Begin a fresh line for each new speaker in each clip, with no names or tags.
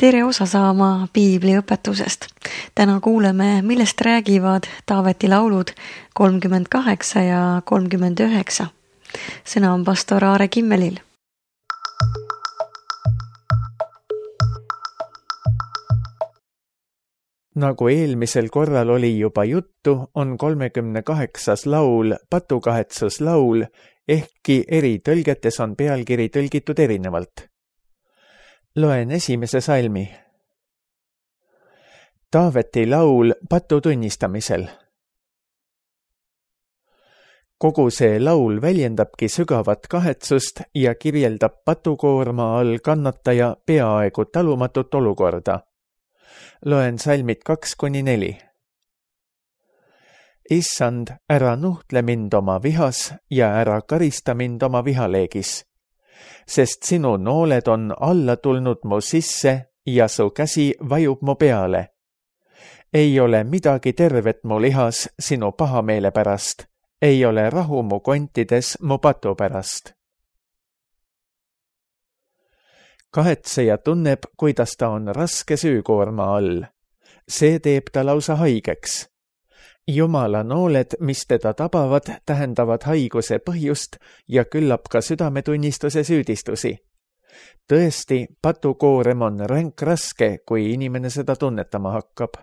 Tere osa saama Piibli õpetusest. Täna kuuleme, millest räägivad Taaveti laulud 38 ja 39. Sõna on pastor Aare Kimmelil.
Nagu eelmisel korral oli juba juttu, on 38. laul patukahetsuslaul, ehkki eri tõlgetes on pealkiri tõlgitud erinevalt. Loen esimese salmi. Taaveti laul patu tunnistamisel. Kogu see laul väljendabki sügavat kahetsust ja kirjeldab patukoorma all kannataja peaaegu talumatut olukorda. Loen salmid 2-4. Issand, ära nuhtle mind oma vihas ja ära karista mind oma vihaleegis, sest sinu nooled on alla tulnud mu sisse ja su käsi vajub mu peale. Ei ole midagi tervet mu lihas sinu pahameele pärast, ei ole rahu mu kontides mu patu pärast. Kahetseja tunneb, kuidas ta on raske süükoorma all. See teeb ta lausa haigeks. Jumala nooled, mis teda tabavad, tähendavad haiguse põhjust ja küllap ka südametunnistuse süüdistusi. Tõesti, patukoorem on ränk raske, kui inimene seda tunnetama hakkab.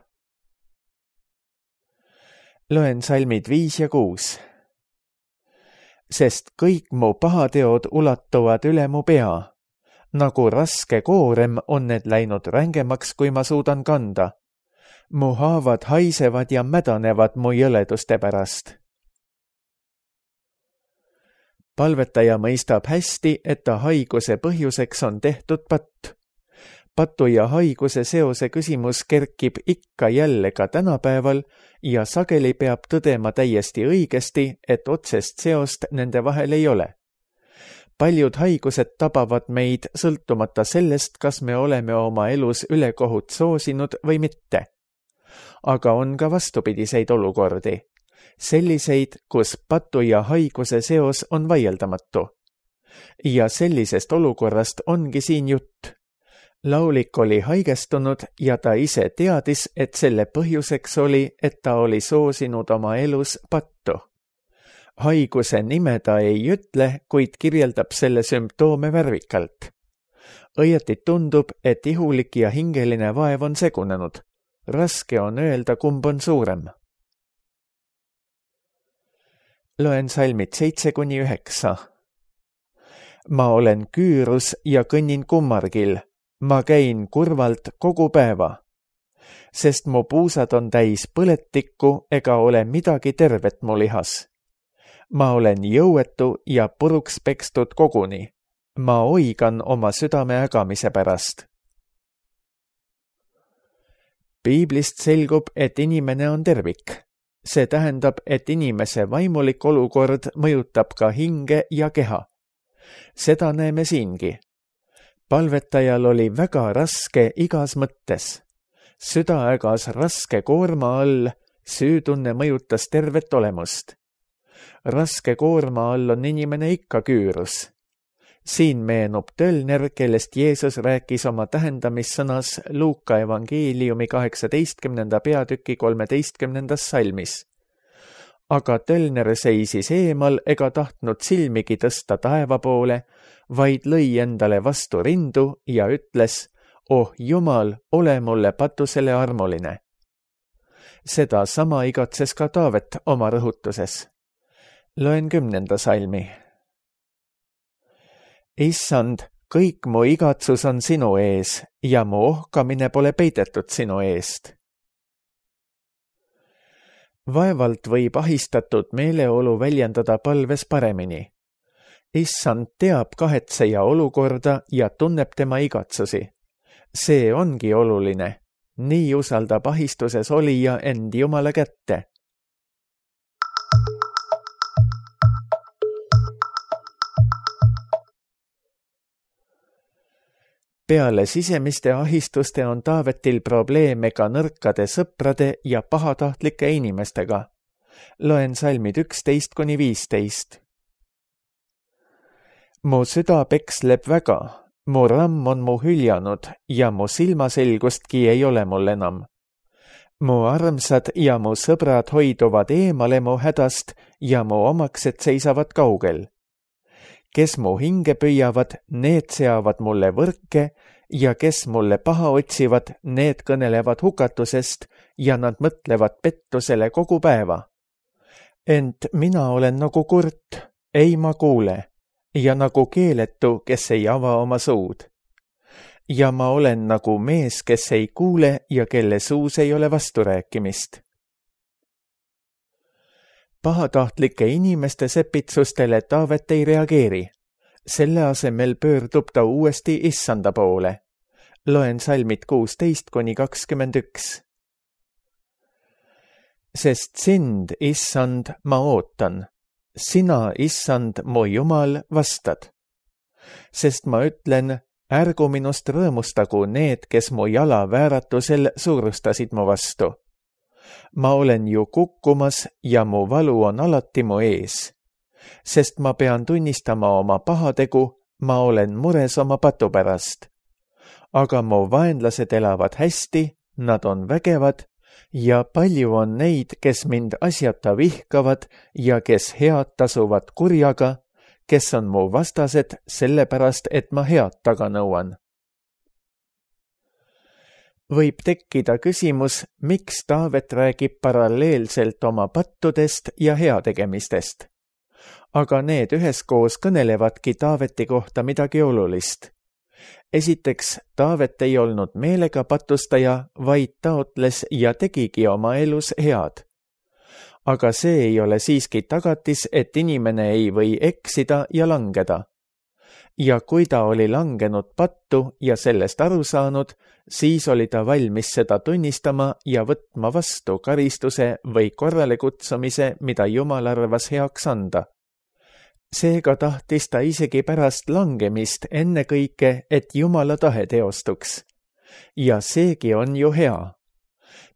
Loen salmid 5 ja 6. Sest kõik mu pahateod ulatuvad üle mu pea. Nagu raske koorem on need läinud rängemaks, kui ma suudan kanda. Mu haavad haisevad ja mädanevad mu jõleduste pärast. Palvetaja mõistab hästi, et ta haiguse põhjuseks on tehtud patt. Patu ja haiguse seose küsimus kerkib ikka jälle ka tänapäeval ja sageli peab tõdema täiesti õigesti, et otsest seost nende vahel ei ole. Paljud haigused tabavad meid sõltumata sellest, kas me oleme oma elus ülekohut soosinud või mitte. Aga on ka vastupidiseid olukordi. Selliseid, kus patu ja haiguse seos on vaieldamatu. Ja sellisest olukorrast ongi siin jutt. Laulik oli haigestunud ja ta ise teadis, et selle põhjuseks oli, et ta oli soosinud oma elus pattu. Haiguse nime ta ei ütle, kuid kirjeldab selle sümptoome värvikalt. Õieti tundub, et ihulik ja hingeline vaev on segunenud. Raske on öelda, kumb on suurem. Loen salmid 7-9. Ma olen küürus ja kõnnin kummargil. Ma käin kurvalt kogu päeva. Sest mu puusad on täis põletikku ega ole midagi tervet mu lihas. Ma olen jõuetu ja puruks pekstud koguni. Ma oigan oma südame ägamise pärast. Piiblist selgub, et inimene on tervik. See tähendab, et inimese vaimulik olukord mõjutab ka hinge ja keha. Seda näeme siingi. Palvetajal oli väga raske igas mõttes. Süda ägas raske koorma all, süütunne mõjutas tervet olemust. Raske koorma all on inimene ikka küürus. Siin meenub Tölner, kellest Jeesus rääkis oma tähendamissõnas Luuka evangeeliumi 18. peatüki 13. salmis. Aga Tölner seisis eemal ega tahtnud silmigi tõsta taeva poole, vaid lõi endale vastu rindu ja ütles, oh Jumal, ole mulle patusele armuline. Seda sama igatses ka Taavet oma rõhutuses. Loen 10. salmi. Issand, kõik mu igatsus on sinu ees ja mu ohkamine pole peidetud sinu eest. Vaevalt võib ahistatud meeleolu väljendada palves paremini. Issand teab kahetseja olukorda ja tunneb tema igatsusi. See ongi oluline. Nii usaldab ahistuses olija end Jumala kätte. Peale sisemiste ahistuste on Taavetil probleeme ka nõrkade sõprade ja pahatahtlike inimestega. Loen salmid 11-15. Mu süda peksleb väga, Mu ramm on mu hüljanud ja mu silmaselgustki ei ole mul enam. Mu armsad ja mu sõbrad hoiduvad eemale mu hädast ja mu omaksed seisavad kaugel. Kes mu hinge püüavad, need seavad mulle võrke ja kes mulle paha otsivad, need kõnelevad hukatusest ja nad mõtlevad pettusele kogu päeva. Ent mina olen nagu kurt, ei ma kuule, ja nagu keeletu, kes ei ava oma suud. Ja ma olen nagu mees, kes ei kuule ja kelle suus ei ole vasturääkimist. Pahatahtlike inimeste sepitsustele Taavet ei reageeri. Selle asemel pöördub ta uuesti Issanda poole. Loen salmid 16-21. Sest sind, Issand, ma ootan. Sina, Issand, mu Jumal, vastad. Sest ma ütlen, ärgu minust rõõmustagu need, kes mu jala vääratusel suurustasid mu vastu. Ma olen ju kukkumas ja mu valu on alati mu ees. Sest ma pean tunnistama oma pahategu, ma olen mures oma patu pärast. Aga mu vaenlased elavad hästi, nad on vägevad ja palju on neid, kes mind asjata vihkavad ja kes head tasuvad kurjaga, kes on mu vastased sellepärast, et ma head taga nõuan. Võib tekkida küsimus, miks Taavet räägib paralleelselt oma pattudest ja heategemistest. Aga need üheskoos kõnelevadki Taaveti kohta midagi olulist. Esiteks, Taavet ei olnud meelega patustaja, vaid taotles ja tegigi oma elus head. Aga see ei ole siiski tagatis, et inimene ei või eksida ja langeda. Ja kui ta oli langenud pattu ja sellest aru saanud, siis oli ta valmis seda tunnistama ja võtma vastu karistuse või korralekutsumise, mida Jumal arvas heaks anda. Seega tahtis ta isegi pärast langemist ennekõike, et Jumala tahe teostuks. Ja seegi on ju hea.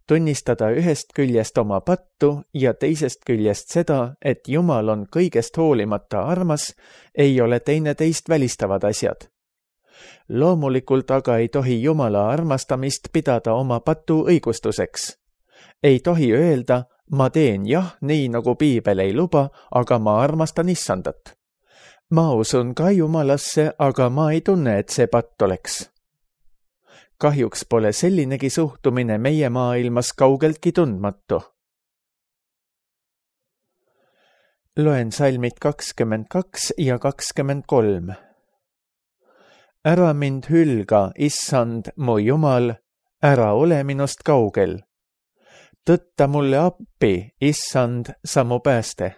Tunnistada ühest küljest oma pattu ja teisest küljest seda, et Jumal on kõigest hoolimata armas, ei ole teineteist välistavad asjad. Loomulikult aga ei tohi Jumala armastamist pidada oma patu õigustuseks. Ei tohi öelda, ma teen jah, nii nagu Piibel ei luba, aga ma armastan Issandat. Ma usun ka Jumalasse, aga ma ei tunne, et see patt oleks. Kahjuks pole sellinegi suhtumine meie maailmas kaugeltki tundmatu. Loen salmid 22 ja 23. Ära mind hülga, Issand, mu Jumal, ära ole minust kaugel. Tõtta mulle appi, Issand, sa mu pääste.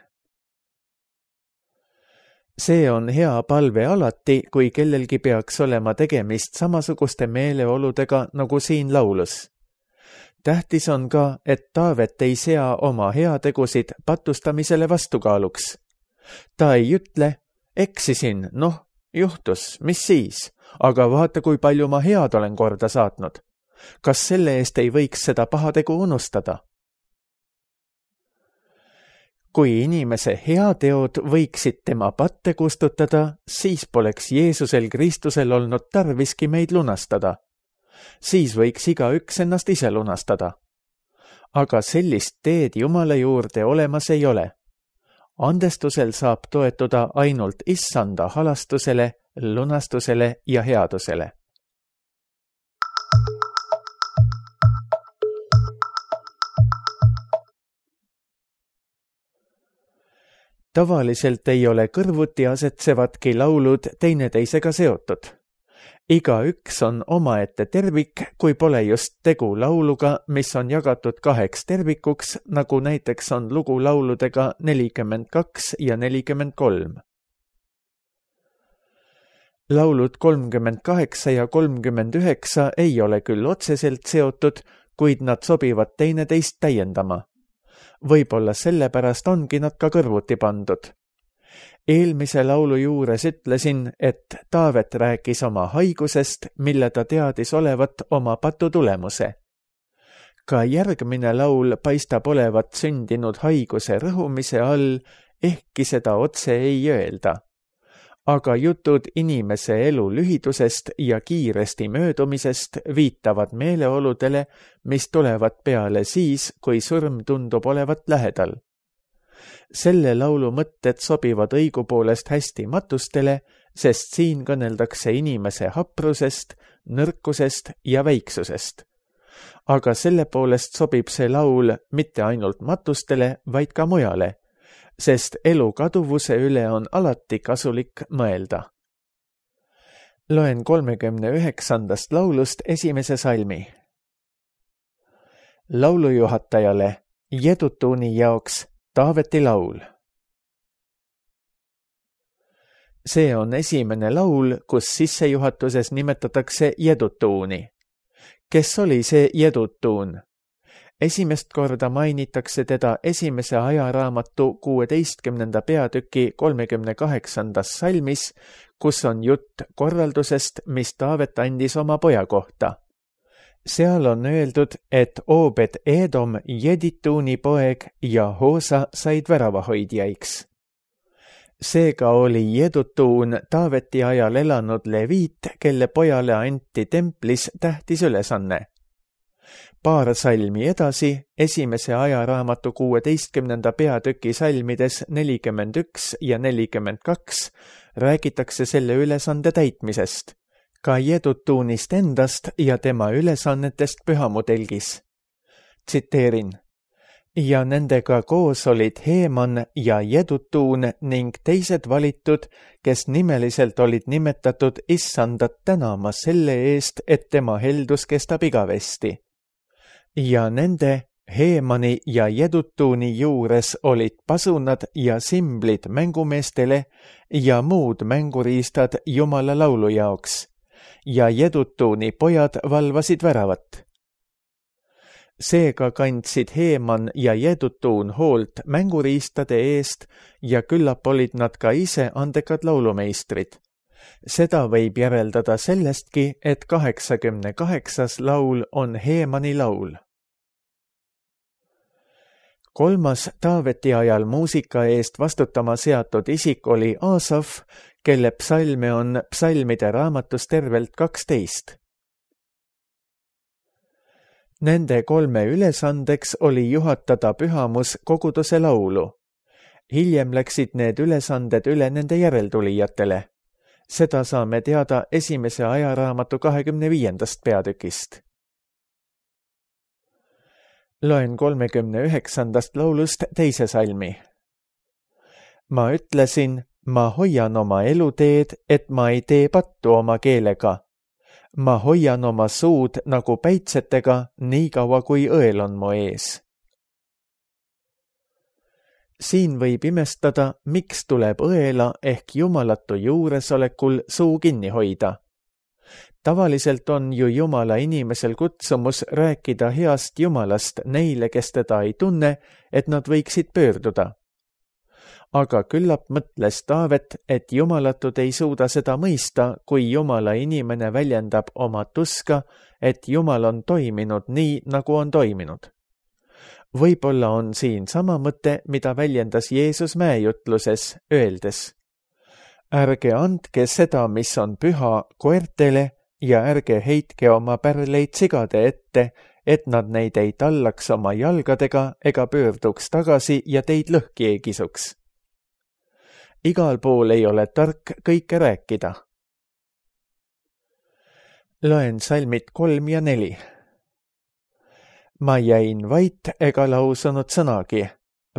See on hea palve alati, kui kellelgi peaks olema tegemist samasuguste meeleoludega nagu siin laulus. Tähtis on ka, et Taavet ei sea oma heategusid patustamisele vastukaaluks. Ta ei ütle, eksisin, juhtus, mis siis, aga vaata, kui palju ma head olen korda saatnud. Kas selle eest ei võiks seda pahategu unustada? Kui inimese heateod võiksid tema patte kustutada, siis poleks Jeesusel Kristusel olnud tarviski meid lunastada. Siis võiks igaüks ennast ise lunastada. Aga sellist teed Jumala juurde olemas ei ole. Andestusel saab toetuda ainult Issanda halastusele, lunastusele ja headusele. Tavaliselt ei ole kõrvuti asetsevadki laulud teineteisega seotud. Igaüks on omaette tervik, kui pole just tegu lauluga, mis on jagatud 2 tervikuks, nagu näiteks on lugu lauludega 42 ja 43. Laulud 38 ja 39 ei ole küll otseselt seotud, kuid nad sobivad teineteist täiendama. Võib-olla sellepärast ongi nad ka kõrvuti pandud. Eelmise laulu juures ütlesin, et Taavet rääkis oma haigusest, mille ta teadis olevat oma patu tulemuse. Ka järgmine laul paistab olevat sündinud haiguse rõhumise all, ehkki seda otse ei öelda. aga jutud inimese elu lühidusest ja kiiresti möödumisest viitavad meeleoludele, mis tulevad peale siis, kui surm tundub olevat lähedal. Selle laulu mõtted sobivad õigupoolest hästi matustele, sest siin kõneldakse inimese haprusest, nõrkusest ja väiksusest. Aga selle poolest sobib see laul mitte ainult matustele, vaid ka mujale, sest elu kaduvuse üle on alati kasulik mõelda. Loen 39. laulust esimese salmi. Laulujuhatajale Jedutuuni jaoks Taaveti laul. See on esimene laul, kus sissejuhatuses nimetatakse Jedutuuni. Kes oli see Jedutuun? Esimest korda mainitakse teda esimese ajaraamatu 16. peatüki 38. salmis, kus on jutt korraldusest, mis Taavet andis oma poja kohta. Seal on öeldud, et Obed Edom Jedituuni poeg ja Hoosa said väravahoidjaiks. Seega oli Jedutuun Taaveti ajal elanud leviit, kelle pojale anti templis tähtis ülesanne. Paar salmi edasi, esimese ajaraamatu 16. peatüki salmides 41 ja 42 räägitakse selle ülesande täitmisest, ka Jedutuunist endast ja tema ülesannetest pühamudelgis. Tsiteerin. Ja nendega koos olid Heeman ja Jedutuun ning teised valitud, kes nimeliselt olid nimetatud Issandat tänama selle eest, et tema heldus kestab igavesti. Ja nende, Heemani ja Jedutuuni juures olid pasunad ja simblid mängumeestele ja muud mänguriistad Jumala laulu jaoks. Ja Jedutuuni pojad valvasid väravat. Seega kandsid Heeman ja Jedutuun hoolt mänguriistade eest ja küllap olid nad ka ise andekad laulumeistrid. Seda võib järeldada sellestki, et 88. laul on Heemani laul. Kolmas Taaveti ajal muusika eest vastutama seatud isik oli Aasaf, kelle psalme on psalmide raamatus tervelt 12. Nende kolme ülesandeks oli juhatada pühamus koguduse laulu. Hiljem läksid need ülesanded üle nende järeltulijatele. Seda saame teada esimese ajaraamatu 25. peatükist. Loen 39. laulust teise salmi. Ma ütlesin, ma hoian oma eluteed, et ma ei tee pattu oma keelega. Ma hoian oma suud nagu päitsetega, nii kaua kui õel on mu ees. Siin võib imestada, miks tuleb õela ehk jumalatu juuresolekul suu kinni hoida. Tavaliselt on ju Jumala inimesel kutsumus rääkida heast Jumalast neile, kes teda ei tunne, et nad võiksid pöörduda. Aga küllap mõtles Taavet, et jumalatud ei suuda seda mõista, kui Jumala inimene väljendab oma tuska, et Jumal on toiminud nii, nagu on toiminud. Võib-olla on siin sama mõte, mida väljendas Jeesus mäejutluses, öeldes: ärge andke seda, mis on püha, koertele ja ärge heitke oma pärleid sigade ette, et nad neid ei tallaks oma jalgadega ega pöörduks tagasi ja teid lõhki ei kisuks. Igal pool ei ole tark kõike rääkida. Loen salmid 3 ja 4. Ma jäin vait ega lausunud sõnagi.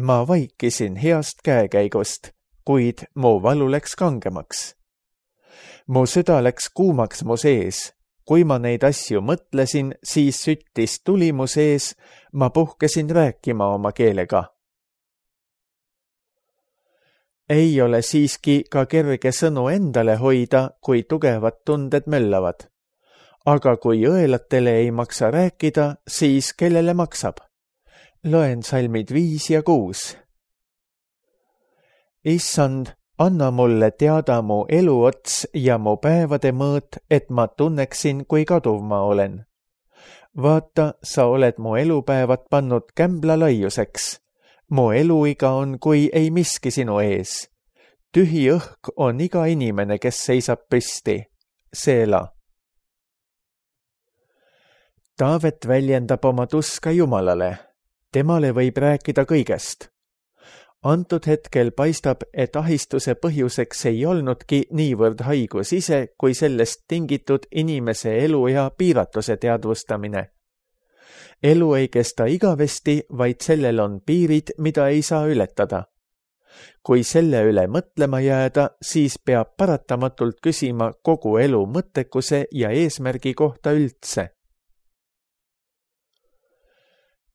Ma vaikisin heast käekäigust, kuid mu valu läks kangemaks. Mu süda läks kuumaks mu sees. Kui ma neid asju mõtlesin, siis süttis tuli mu sees, ma puhkesin rääkima oma keelega. Ei ole siiski ka kerge sõnu endale hoida, kui tugevad tunded möllavad. Aga kui õelatele ei maksa rääkida, siis kellele maksab? Loen salmid 5 ja 6. Issand, anna mulle teada mu eluots ja mu päevade mõõt, et ma tunneksin, kui kaduv ma olen. Vaata, sa oled mu elupäevad pannud kämbla laiuseks. Mu eluiga on, kui ei miski sinu ees. Tühi õhk on iga inimene, kes seisab püsti. Seela. Taavet väljendab oma tuska Jumalale. Temale võib rääkida kõigest. Antud hetkel paistab, et ahistuse põhjuseks ei olnudki niivõrd haigus ise, kui sellest tingitud inimese eluea piiratuse teadvustamine. Elu ei kesta igavesti, vaid sellel on piirid, mida ei saa ületada. Kui selle üle mõtlema jääda, siis peab paratamatult küsima kogu elu mõttekuse ja eesmärgi kohta üldse.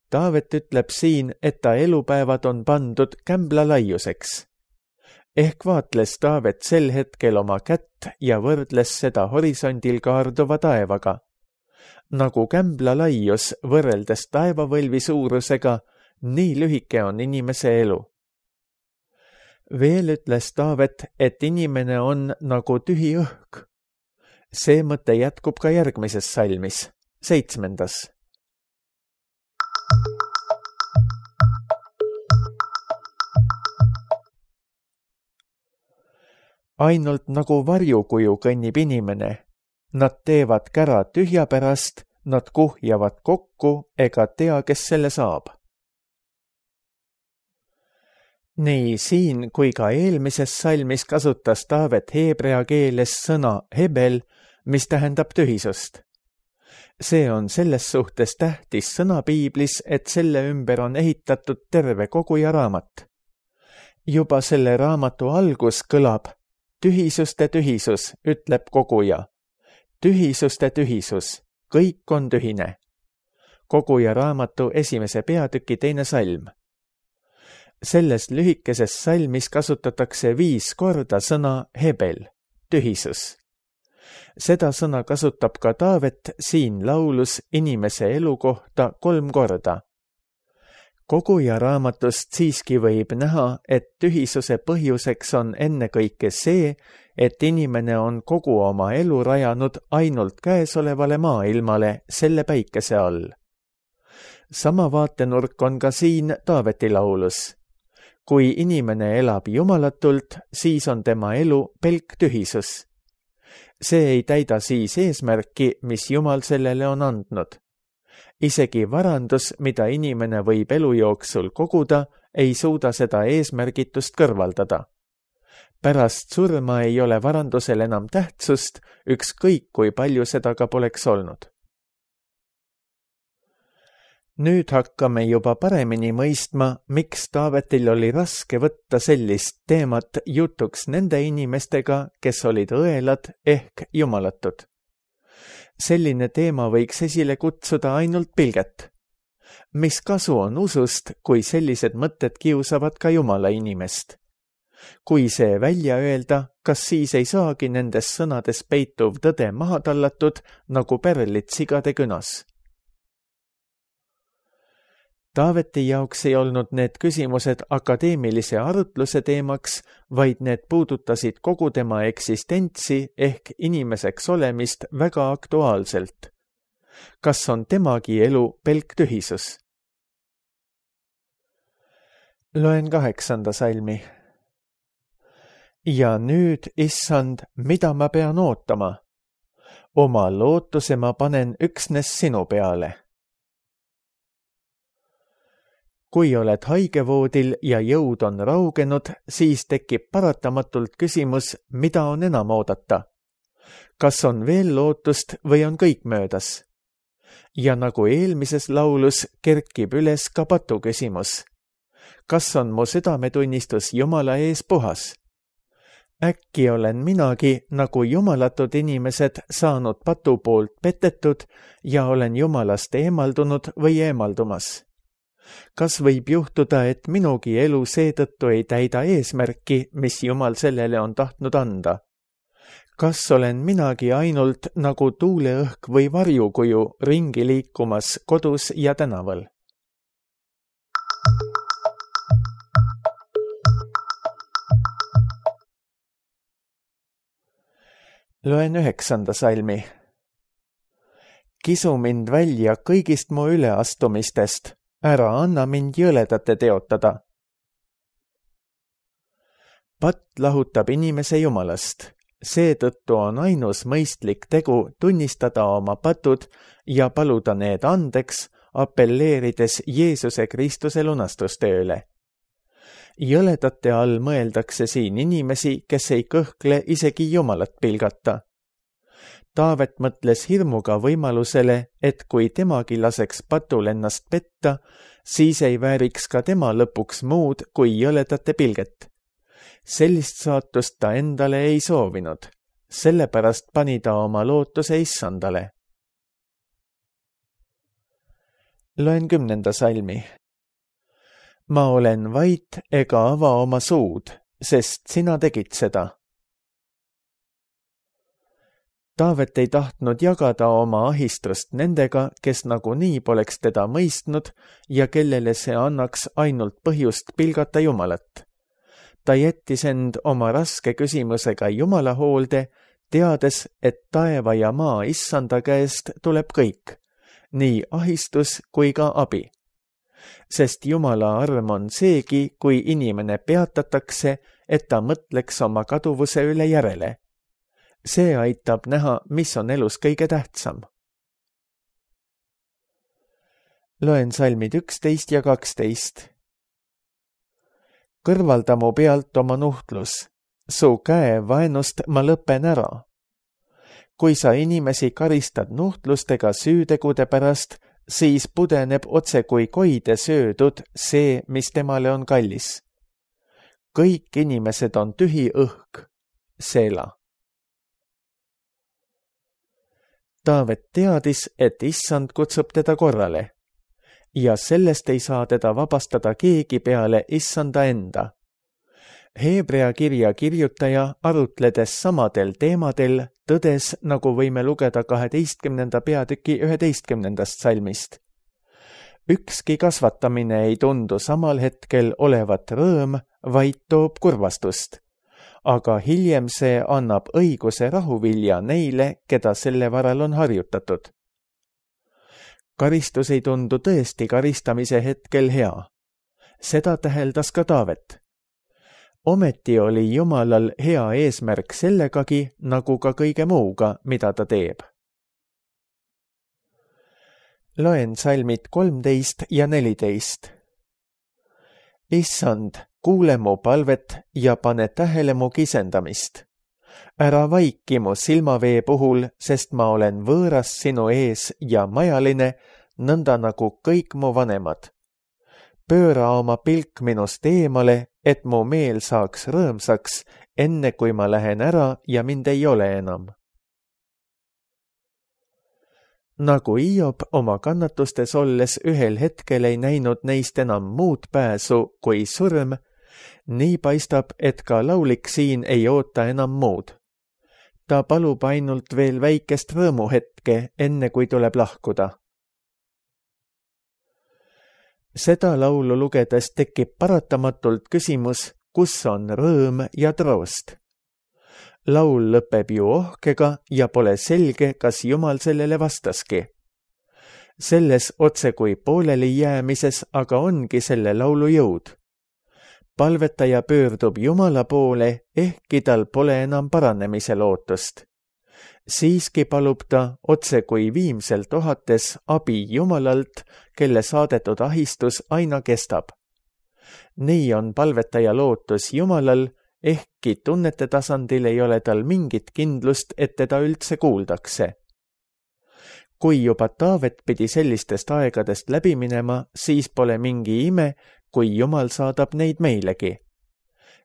Taavet ütleb siin, et ta elupäevad on pandud kämbla laiuseks. Ehk vaatles Taavet sel hetkel oma kätt ja võrdles seda horisondil kaarduva taevaga. Nagu kämbla laius võrreldes taevavõlvi suurusega, nii lühike on inimese elu. Veel ütles Taavet, et inimene on nagu tühi õhk. See mõte jätkub ka järgmises salmis, 7. Ainult nagu varjukuju kõnnib inimene. Nad teevad kära tühja pärast, nad kuhjavad kokku ega tea, kes selle saab. Nii siin kui ka eelmises salmis kasutas Taavet heebrea keeles sõna hebel, mis tähendab tühisust. See on selles suhtes tähtis sõna piiblis, et selle ümber on ehitatud terve koguja raamat. Juba selle raamatu algus kõlab tühisuste tühisus, ütleb koguja. Tühisuste tühisus, kõik on tühine. Koguja raamatu 1. peatüki 2. salm. Selles lühikeses salmis kasutatakse 5 korda sõna hebel, tühisus. Seda sõna kasutab ka Taavet siin laulus inimese elu kohta 3 korda. Koguja raamatust siiski võib näha, et tühisuse põhjuseks on ennekõike see, et inimene on kogu oma elu rajanud ainult käesolevale maailmale selle päikese all. Sama vaatenurk on ka siin Taaveti laulus. Kui inimene elab jumalatult, siis on tema elu pelk tühisus. See ei täida siis eesmärki, mis Jumal sellele on andnud. Isegi varandus, mida inimene võib elu jooksul koguda, ei suuda seda eesmärgitust kõrvaldada. Pärast surma ei ole varandusel enam tähtsust, ükskõik kui palju seda ka poleks olnud. Nüüd hakkame juba paremini mõistma, miks Taavetil oli raske võtta sellist teemat jutuks nende inimestega, kes olid õelad ehk jumalatud. Selline teema võiks esile kutsuda ainult pilget. Mis kasu on usust, kui sellised mõtted kiusavad ka Jumala inimest? Kui see välja öelda, kas siis ei saagi nendes sõnades peituv tõde maha tallatud nagu pärlid sigade künas? Taaveti jaoks ei olnud need küsimused akadeemilise arutluse teemaks, vaid need puudutasid kogu tema eksistentsi ehk inimeseks olemist väga aktuaalselt. Kas on temagi elu pelk tühisus? Loen 8. salmi. Ja nüüd, issand, mida ma pean ootama? Oma lootuse ma panen üksnes sinu peale. Kui oled haigevoodil ja jõud on raugenud, siis tekib paratamatult küsimus, mida on enam oodata. Kas on veel lootust või on kõik möödas? Ja nagu eelmises laulus kerkib üles ka patu küsimus. Kas on mu südametunnistus Jumala ees puhas? Äkki olen minagi, nagu jumalatud inimesed, saanud patu poolt petetud ja olen Jumalast eemaldunud või eemaldumas? Kas võib juhtuda, et minugi elu seetõttu ei täida eesmärki, mis Jumal sellele on tahtnud anda? Kas olen minagi ainult nagu tuuleõhk või varjukuju ringi liikumas kodus ja tänaval? Loen 9. salmi. Kisu mind välja kõigist mu üleastumistest. Ära anna mind jõledate teotada. Patt lahutab inimese Jumalast. Seetõttu on ainus mõistlik tegu tunnistada oma patud ja paluda need andeks, apelleerides Jeesuse Kristuse lunastustööle. Jõledate all mõeldakse siin inimesi, kes ei kõhkle isegi Jumalat pilgata. Taavet mõtles hirmuga võimalusele, et kui temagi laseks patul ennast petta, siis ei vääriks ka tema lõpuks muud kui jõledate pilget. Sellist saatust ta endale ei soovinud, sellepärast pani ta oma lootuse Issandale. Loen 10. salmi. Ma olen vait ega ava oma suud, sest sina tegid seda. Taavet ei tahtnud jagada oma ahistust nendega, kes nagunii poleks teda mõistnud ja kellele see annaks ainult põhjust pilgata Jumalat. Ta jättis end oma raske küsimusega Jumala hoolde, teades, et taeva ja maa Issanda käest tuleb kõik, nii ahistus kui ka abi. Sest Jumala arm on seegi, kui inimene peatatakse, et ta mõtleks oma kaduvuse üle järele. See aitab näha, mis on elus kõige tähtsam. Loen salmid 11 ja 12. Kõrvalda mu pealt oma nuhtlus, su käe vaenust ma lõpen ära. Kui sa inimesi karistad nuhtlustega süütegude pärast, siis pudeneb otse kui koide söödud see, mis temale on kallis. Kõik inimesed on tühi õhk, Seela. Taavet teadis, et Issand kutsub teda korrale ja sellest ei saa teda vabastada keegi peale Issanda enda. Heebrea kirja kirjutaja arutledes samadel teemadel tõdes, nagu võime lugeda 12. peatüki 11. salmist. Ükski kasvatamine ei tundu samal hetkel olevat rõõm, vaid toob kurvastust. Aga hiljem see annab õiguse rahuvilja neile, keda selle varal on harjutatud. Karistus ei tundu tõesti karistamise hetkel hea. Seda täheldas ka Taavet. Ometi oli Jumalal hea eesmärk sellegagi, nagu ka kõige muuga, mida ta teeb. Loen salmid 13 ja 14. Issand, kuule mu palvet ja pane tähele mu kisendamist. Ära vaiki mu silmavee puhul, sest ma olen võõras sinu ees ja majaline, nõnda nagu kõik mu vanemad. Pööra oma pilk minust eemale, et mu meel saaks rõõmsaks, enne kui ma lähen ära ja mind ei ole enam. Nagu Hiob oma kannatustes olles ühel hetkel ei näinud neist enam muud pääsu kui surm, nii paistab, et ka laulik siin ei oota enam muud. Ta palub ainult veel väikest rõõmuhetke, enne kui tuleb lahkuda. Seda laulu lugedes tekib paratamatult küsimus, kus on rõõm ja troost. Laul lõpeb ju ohkega ja pole selge, kas Jumal sellele vastaski. Selles otse kui pooleli jäämises aga ongi selle laulu jõud. Palvetaja pöördub Jumala poole, ehkki tal pole enam paranemise lootust. Siiski palub ta otse kui viimselt ohates abi Jumalalt, kelle saadetud ahistus aina kestab. Nii on palvetaja lootus Jumalal, ehkki tunnete tasandil ei ole tal mingit kindlust, et teda üldse kuuldakse. Kui juba Taavet pidi sellistest aegadest läbi minema, siis pole mingi ime, kui Jumal saadab neid meilegi.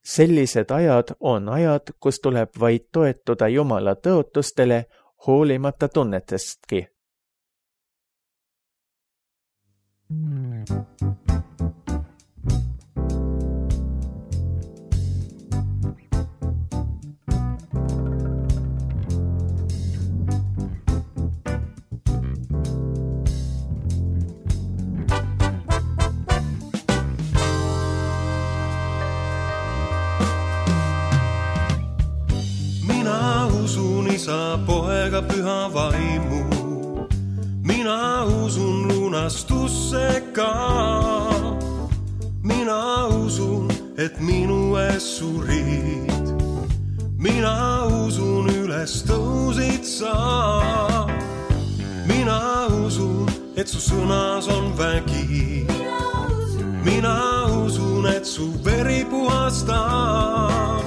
Sellised ajad on ajad, kus tuleb vaid toetuda Jumala tõotustele, hoolimata tunnetestki.
Isa, Poega, Püha Vaimu. Mina usun lunastusse ka. Mina usun, et minu ees surid. Mina usun üles tõusid sa. Mina usun, et su sõnas on vägi. Mina usun, et su veri puhastab.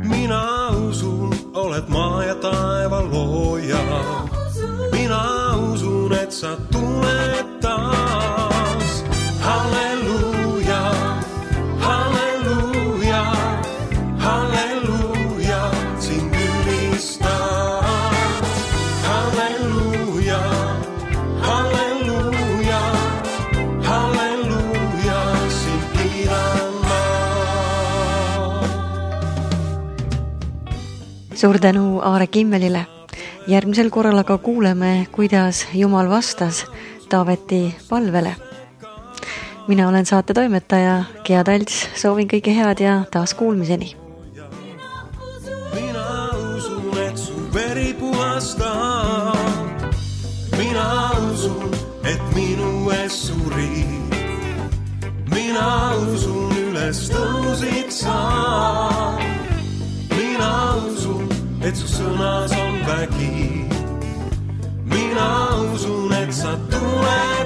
Mina usun, oled maa ja taeva looja. Mina usun, et sa tuled taas. Halleluuja, halleluuja, halleluuja, sind ülistab. Halleluuja, halleluuja, halleluuja, sind kiidan ma.
Suur tänu Aare Kimmelile. Järgmisel korral aga kuuleme, kuidas Jumal vastas Taaveti palvele. Mina olen saate toimetaja Gea Talts, soovin kõige head ja taas kuulmiseni.
Mina usun, et su veri puhastab. Mina usun, et minu ees surid. Mina usun, üles tõusid sa. Mina usun, et su sõnas on vägi. Mina usun, et sa tuled